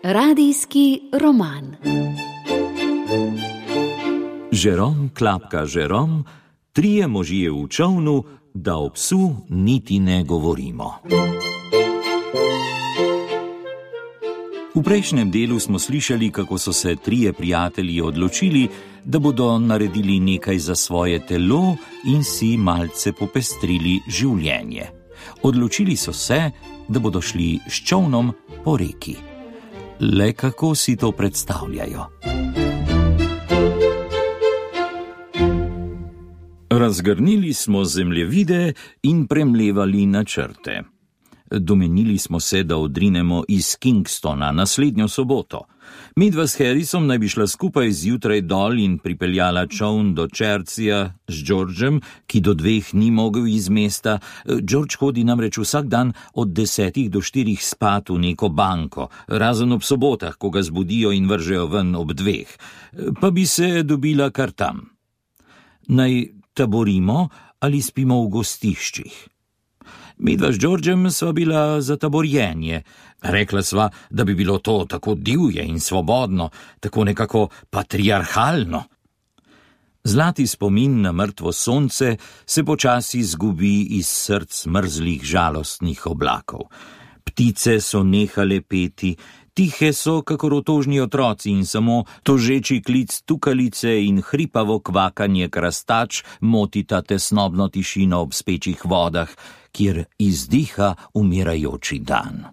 Radijski roman. Žerom klapka Žerom, trije možje v čolnu, da o psu niti ne govorimo. V prejšnjem delu smo slišali, kako so se trije prijatelji odločili, da bodo naredili nekaj za svoje telo in si malce popestrili življenje. Odločili so se, da bodo šli s čolnom po reki. Le kako si to predstavljajo? Razgrnili smo zemljevide in premlevali načrte. Domenili smo se, da odrinemo iz Kingstona naslednjo soboto. Midva s Harrisom naj bi šla skupaj zjutraj dol in pripeljala čoln do Chertseyja z Georgem, ki do 2 ni mogel iz mesta. George hodi namreč vsak dan od 10 do 4 spat v neko banko, razen ob sobotah, ko ga zbudijo in vržejo ven ob 2. Pa bi se dobila kar tam. Naj taborimo ali spimo v gostiščih? Midva s Georgem sva bila za taborjenje. Rekla sva, da bi bilo to tako divje in svobodno, tako nekako patriarhalno. Zlati spomin na mrtvo sonce se počasi izgubi iz src mrzlih žalostnih oblakov. Ptice so nehale peti, tihe so kakor otožni otroci in samo tožeči klic tukalice in hripavo kvakanje krastač motita tesnobno tišino ob spečih vodah, kjer izdiha umirajoči dan.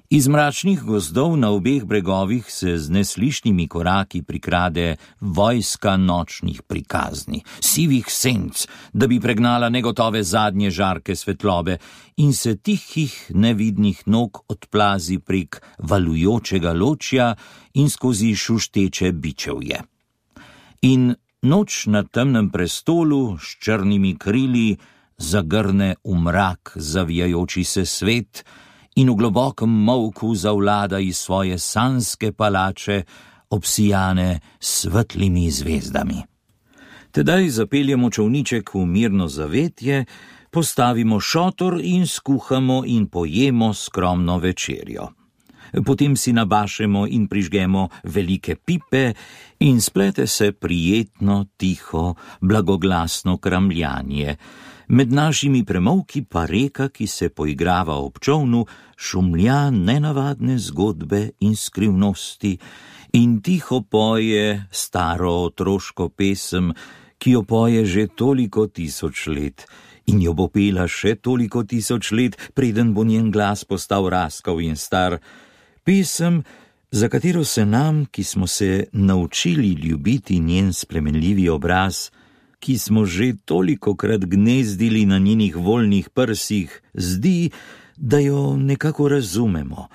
Iz mračnih gozdov na obeh bregovih se z neslišnimi koraki prikrade vojska nočnih prikazni, sivih senc, da bi pregnala negotove zadnje žarke svetlobe in se tihih nevidnih nog odplazi prek valujočega ločja in skozi šušteče bičevje. In noč na temnem prestolu s črnimi krili zagrne v mrak zavijajoči se svet in v globokem molku zavlada iz svoje sanjske palače, obsijane s svetlimi zvezdami. Tedaj zapeljemo čolniček v mirno zavetje, postavimo šotor in skuhamo in pojemo skromno večerjo. Potem si nabašemo in prižgemo velike pipe in splete se prijetno, tiho, blagoglasno kramljanje. Med našimi premolki pa reka, ki se poigrava ob čolnu, šumlja nenavadne zgodbe in skrivnosti in tiho poje staro otroško pesem, ki jo poje že toliko tisoč let in jo bo pela še toliko tisoč let, preden bo njen glas postal raskav in star. Pesem, za katero se nam, ki smo se naučili ljubiti njen spremenljivi obraz, ki smo že tolikokrat gnezdili na njenih voljnih prsih, zdi, da jo nekako razumemo,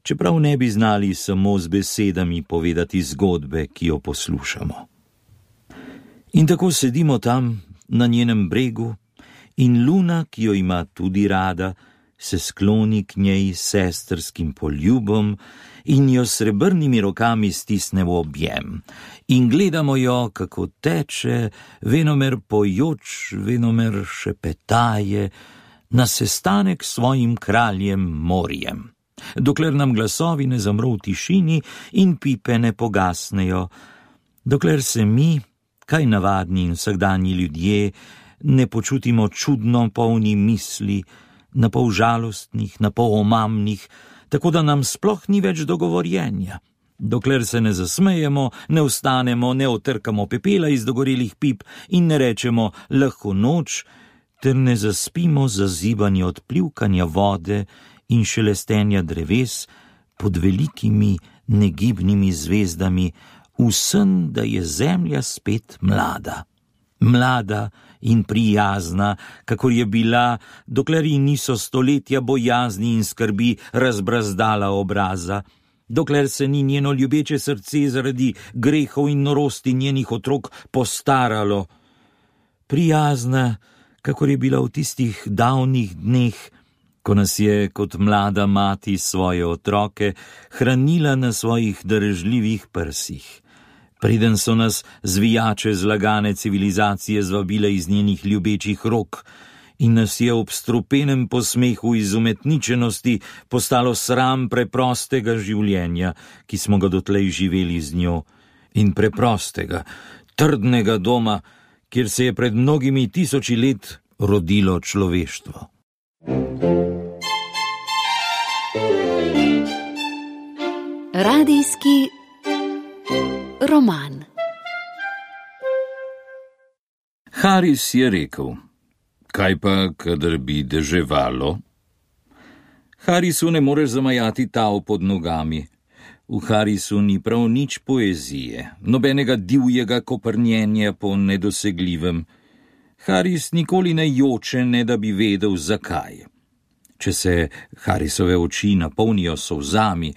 čeprav ne bi znali samo z besedami povedati zgodbe, ki jo poslušamo. In tako sedimo tam na njenem bregu in luna, ki jo ima tudi rada, se skloni k njej sestrskim poljubom in jo s srebrnimi rokami stisne v objem. In gledamo jo, kako teče, venomer pojoč, venomer šepetaje, na sestanek s svojim kraljem morjem. Dokler nam glasovi ne zamro v tišini in pipe ne pogasnejo, dokler se mi, kaj navadni in vsakdanji ljudje, ne počutimo čudno polni misli, na pol žalostnih, na pol omamnih, tako da nam sploh ni več dogovorjenja. Dokler se ne zasmejemo, ne vstanemo, ne otrkamo pepela iz dogorelih pip in ne rečemo lahko noč, ter ne zaspimo zazibanje od plivkanja vode in šelestenja dreves pod velikimi negibnimi zvezdami, v sen, da je zemlja spet mlada. Mlada in prijazna, kakor je bila, dokler ji niso stoletja bojazni in skrbi razbrazdala obraza, dokler se ni njeno ljubeče srce zaradi grehov in norosti njenih otrok postaralo. Prijazna, kakor je bila v tistih davnih dneh, ko nas je kot mlada mati svoje otroke hranila na svojih darežljivih prsih. Preden so nas zvijače zlagane civilizacije zvabile iz njenih ljubečih rok in nas je ob strupenem posmehu izumetničenosti postalo sram preprostega življenja, ki smo ga dotlej živeli z njo, in preprostega, trdnega doma, kjer se je pred mnogimi tisoči let rodilo človeštvo. Radijski roman. Haris je rekel: kaj pa, kadar bi deževalo? Harisu ne moreš zamajati tav pod nogami. V Harisu ni prav nič poezije, nobenega divjega koprnjenja po nedosegljivem. Haris nikoli ne joče, ne da bi vedel, zakaj. Če se Harisove oči napolnijo solzami,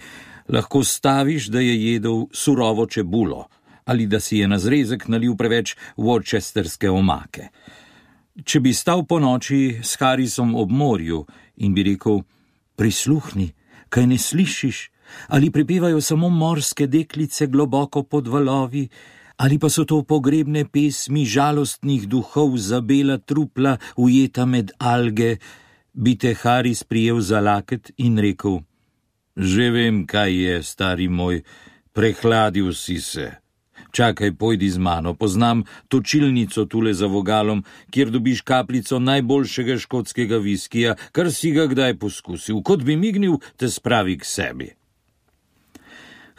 lahko staviš, da je jedel surovo čebulo ali da si je na zrezek nalil preveč worcesterske omake. Če bi stal po noči s Harisom ob morju in bi rekel: prisluhni, kaj ne slišiš, ali prepevajo samo morske deklice globoko pod valovi, ali pa so to pogrebne pesmi žalostnih duhov za bela trupla ujeta med alge, bi te Haris prijel za laket in rekel: že vem, kaj je, stari moj, prehladil si se. Čakaj, pojdi z mano, poznam točilnico tule za vogalom, kjer dobiš kapljico najboljšega škotskega viskija, kar si ga kdaj poskusil, kot bi mignil, te spravi k sebi.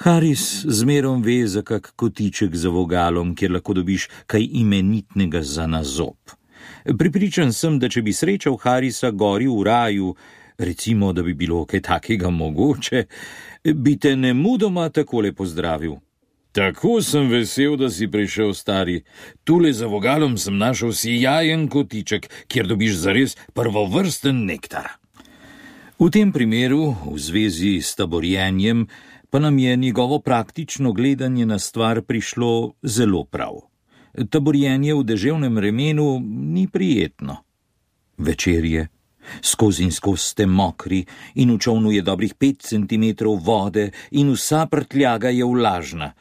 Haris zmerom ve za kak kotiček za vogalom, kjer lahko dobiš kaj imenitnega za na zob. Pripričan sem, da če bi srečal Harisa gori v raju, recimo, da bi bilo kaj takega mogoče, bi te nemudoma takole pozdravil: tako sem vesel, da si prišel, stari. Tule za vogalom sem našel sijajen kotiček, kjer dobiš zares prvovrsten nektar. V tem primeru, v zvezi s taborjenjem, pa nam je njegovo praktično gledanje na stvar prišlo zelo prav. Taborjenje v deževnem vremenu ni prijetno. Večer je, skozi in skozi ste mokri in v čolnu je dobrih 5 centimetrov vode in vsa prtljaga je vlažna.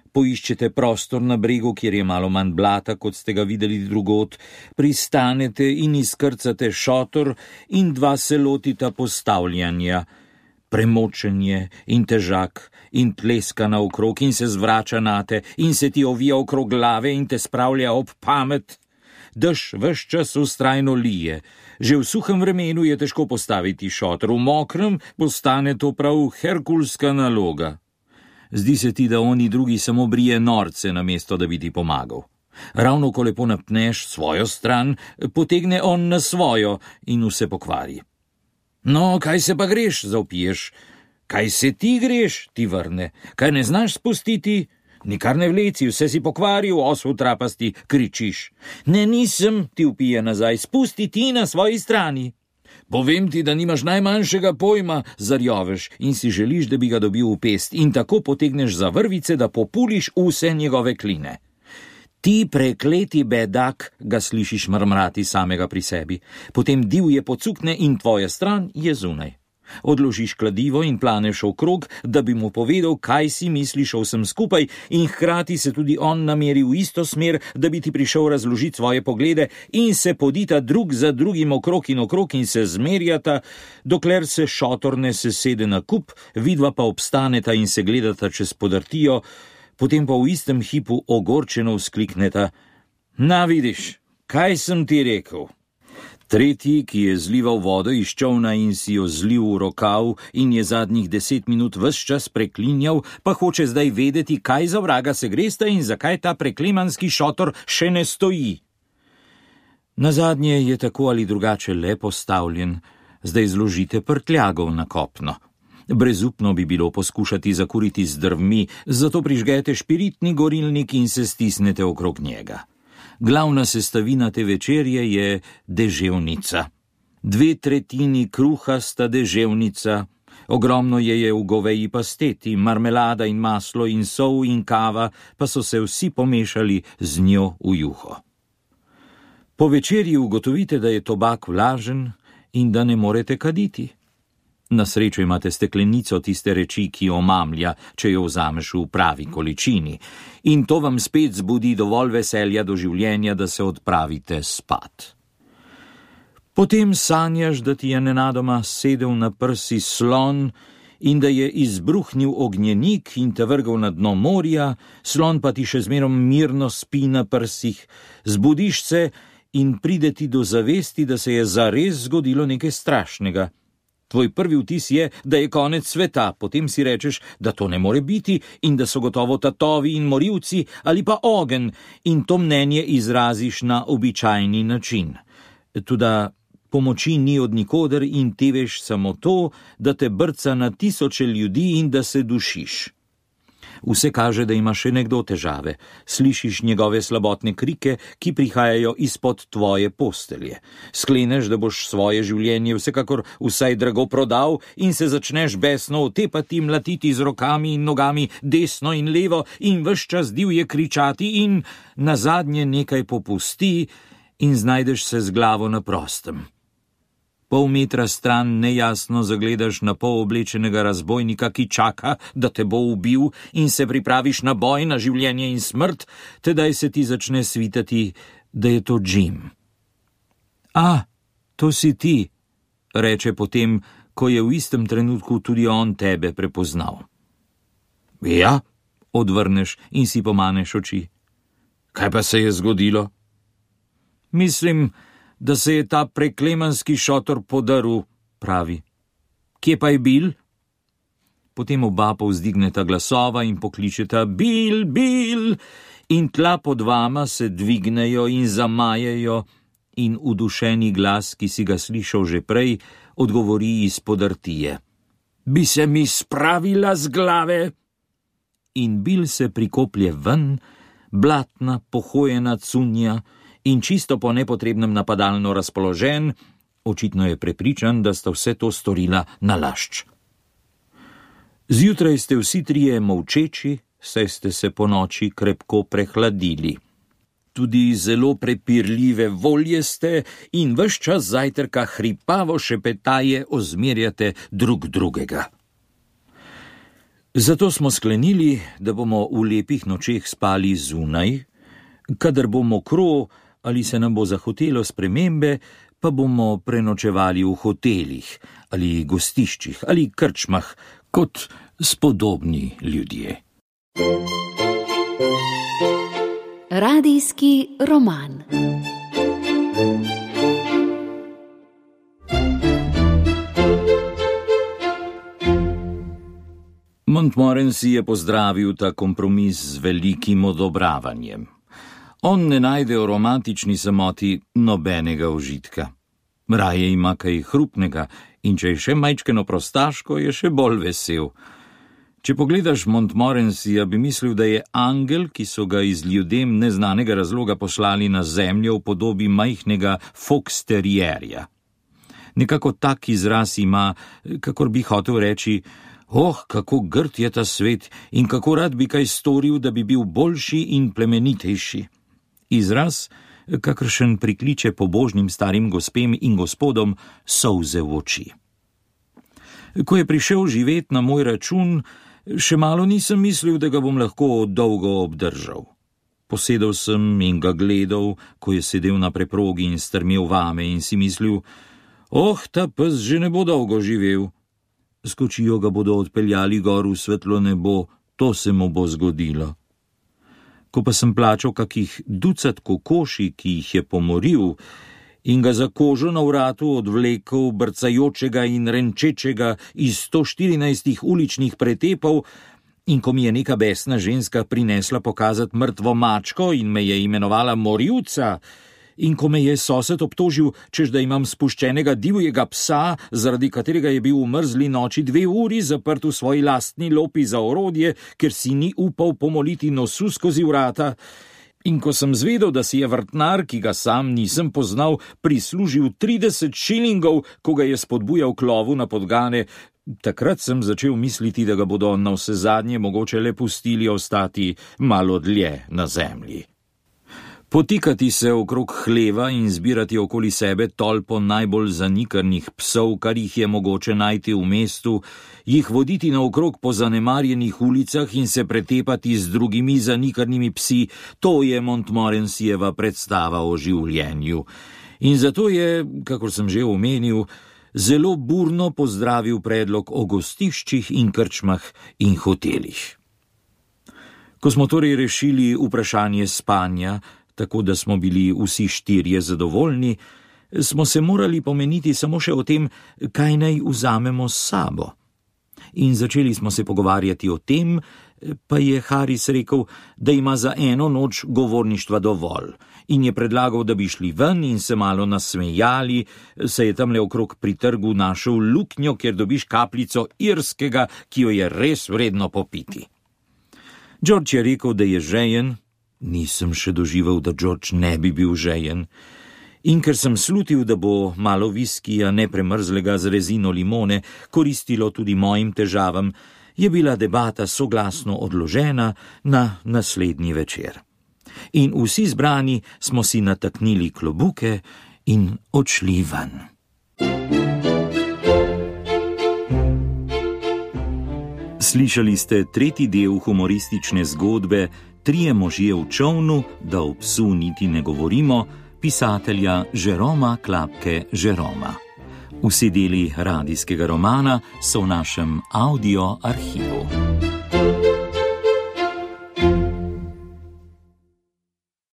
Poiščete prostor na bregu, kjer je malo manj blata, kot ste ga videli drugod, pristanete in izkrcate šotor in 2 se lotita postavljanja. Premočenje in težak in tleska naokrog in se zvrača nate in se ti ovija okrog glave in te spravlja ob pamet. Dež ves čas vztrajno lije. Že v suhem vremenu je težko postaviti šotor, v mokrem postane to prav herkulska naloga. Zdi se ti, da oni drugi samo brije norce, namesto da bi ti pomagal. Ravno ko lepo napneš svojo stran, potegne on na svojo in vse pokvari. No, kaj se pa greš, zavpiješ? Kaj se ti greš, ti vrne? Kaj ne znaš spustiti? Nikar ne vleci, vse si pokvaril, osel trapasti, kričiš. Ne, nisem, ti vpije nazaj, spusti ti na svoji strani. Povem ti, da nimaš najmanjšega pojma, zarjoveš in si želiš, da bi ga dobil v pest in tako potegneš za vrvice, da populiš vse njegove kline. Ti prekleti bedak, ga slišiš mrmrati samega pri sebi, potem divje pocukne in tvoja stran je zunaj. Odložiš kladivo in planeš okrog, da bi mu povedal, kaj si misliš o vsem skupaj in hkrati se tudi on nameri v isto smer, da bi ti prišel razložiti svoje poglede in se podita drug za drugim okrog in se zmerjata, dokler se šotor ne sesede na kup, vidva pa obstaneta in se gledata čez podrtijo, potem pa v istem hipu ogorčeno vzklikneta: na, vidiš, kaj sem ti rekel? Tretji, ki je zlival vodo iz čolna in si jo zlil v rokav in je zadnjih 10 minut ves čas preklinjal, pa hoče zdaj vedeti, kaj za vraga se gresta in zakaj ta preklemanski šotor še ne stoji. Nazadnje je tako ali drugače le postavljen, zdaj zložite prtljago na kopno. Brezupno bi bilo poskušati zakuriti z drvmi, zato prižgete špiritni gorilnik in se stisnete okrog njega. Glavna sestavina te večerje je deževnica. 2/3 kruha sta deževnica, ogromno je v goveji pasteti, marmelada in maslo in sol in kava, pa so se vsi pomešali z njo v juho. Po večerji ugotovite, da je tobak vlažen in da ne morete kaditi. Na srečo imate steklenico tiste reči, ki omamlja, če jo vzameš v pravi količini, in to vam spet zbudi dovolj veselja do življenja, da se odpravite spat. Potem sanjaš, da ti je nenadoma sedel na prsi slon in da je izbruhnil ognjenik in te vrgel na dno morja, slon pa ti še zmerom mirno spi na prsih, zbudiš se in pride ti do zavesti, da se je zares zgodilo nekaj strašnega. Tvoj prvi vtis je, da je konec sveta, potem si rečeš, da to ne more biti in da so gotovo tatovi in morilci ali pa ogenj, in to mnenje izraziš na običajni način. Toda pomoči ni od nikoder in te veš samo to, da te brca na tisoče ljudi in da se dušiš. Vse kaže, da ima še nekdo težave. Slišiš njegove slabotne krike, ki prihajajo izpod tvoje postelje. Skleneš, da boš svoje življenje vsekakor vsaj drago prodal in se začneš besno otepati, mlatiti z rokami in nogami desno in levo in ves čas divje kričati in nazadnje nekaj popusti in znajdeš se z glavo na prostem. Pol metra stran nejasno zagledaš na pol oblečenega razbojnika, ki čaka, da te bo ubil in se pripraviš na boj, na življenje in smrt, tedaj se ti začne svitati, da je to Jim. A, to si ti, reče potem, ko je v istem trenutku tudi on tebe prepoznal. Ja, odvrneš in si pomaneš oči. Kaj pa se je zgodilo? Mislim, da se je ta preklemanski šotor podaril, pravi. Kje pa je Bill? Potem oba povzdigneta glasova in pokličeta Bill, Bill, in tla pod vama se dvignejo in zamajejo in udušeni glas, ki si ga slišal že prej, odgovori iz podrtije. Bi se mi spravila z glave? In Bill se prikoplje ven, blatna, pohojena cunja, in čisto po nepotrebnem napadalno razpoložen, očitno je prepričan, da sta vse to storila nalašč. Zjutraj ste vsi trije molčeči, saj ste se po noči krepko prehladili. Tudi zelo prepirljive volje ste in ves čas zajtrka hripavo šepetaje ozmerjate drug drugega. Zato smo sklenili, da bomo v lepih nočeh spali zunaj, kadar bo mokro ali se nam bo zahotelo spremembe, pa bomo prenočevali v hotelih ali gostiščih ali krčmah kot spodobni ljudje. Radijski roman. Montmorency je pozdravil ta kompromis z velikim odobravanjem. On ne najde v romantični samoti nobenega užitka. Raje ima kaj hrupnega in če je še majčkeno prostaško, je še bolj vesel. Če pogledaš Montmorencyja, bi mislil, da je angel, ki so ga iz ljudem neznanega razloga poslali na zemljo v podobi majhnega foxterierja. Nekako tak izraz ima, kakor bi hotel reči, kako grd je ta svet in kako rad bi kaj storil, da bi bil boljši in plemenitejši. Izraz, kakršen prikliče pobožnim starim gospem in gospodom solze v oči. Ko je prišel živet na moj račun, še malo nisem mislil, da ga bom lahko dolgo obdržal. Posedel sem in ga gledal, ko je sedel na preprogi in strmel vame in si mislil, ta pes že ne bo dolgo živel. Skočijo ga bodo odpeljali gor v svetlo nebo, to se mu bo zgodilo. Ko pa sem plačal kakih ducat kokoši, ki jih je pomoril, in ga za kožo na vratu odvlekel brcajočega in renčečega iz 114 uličnih pretepov, in ko mi je neka besna ženska prinesla pokazati mrtvo mačko in me je imenovala morilca, in ko me je sosed obtožil, češ da imam spuščenega divjega psa, zaradi katerega je bil v mrzli noči 2 uri zaprt v svoji lastni lopi za orodje, ker si ni upal pomoliti nosu skozi vrata, in ko sem zvedel, da si je vrtnar, ki ga sam nisem poznal, prislužil 30 šilingov, ko ga je spodbujal k lovu na podgane, takrat sem začel misliti, da ga bodo navsezadnje mogoče le pustili ostati malo dlje na zemlji. Potikati se okrog hleva in zbirati okoli sebe tolpo najbolj zanikrnih psov, kar jih je mogoče najti v mestu, jih voditi naokrog po zanemarjenih ulicah in se pretepati z drugimi zanikrnimi psi, to je Montmorencyjeva predstava o življenju. In zato je, kakor sem že omenil, zelo burno pozdravil predlog o gostiščih in krčmah in hotelih. Ko smo torej rešili vprašanje spanja, tako da smo bili vsi štirje zadovoljni, smo se morali pomeniti samo še o tem, kaj naj vzamemo s sabo. In začeli smo se pogovarjati o tem, pa je Haris rekel, da ima za eno noč govorništva dovolj in je predlagal, da bi šli ven in se malo nasmejali, saj je tamle okrog pri trgu našel luknjo, kjer dobiš kapljico irskega, ki jo je res vredno popiti. George je rekel, da je žejen, nisem še doživel, da George ne bi bil žejen, in ker sem slutil, da bo malo viskija nepremrzlega z rezino limone koristilo tudi mojim težavam, je bila debata soglasno odložena na naslednji večer. In vsi zbrani smo si nataknili klobuke in odšli ven. Slišali ste tretji del humoristične zgodbe Trije možje v čolnu, da o psu niti ne govorimo, pisatelja Jeroma Klapke Jeroma. Vsi deli radijskega romana so v našem audio arhivu.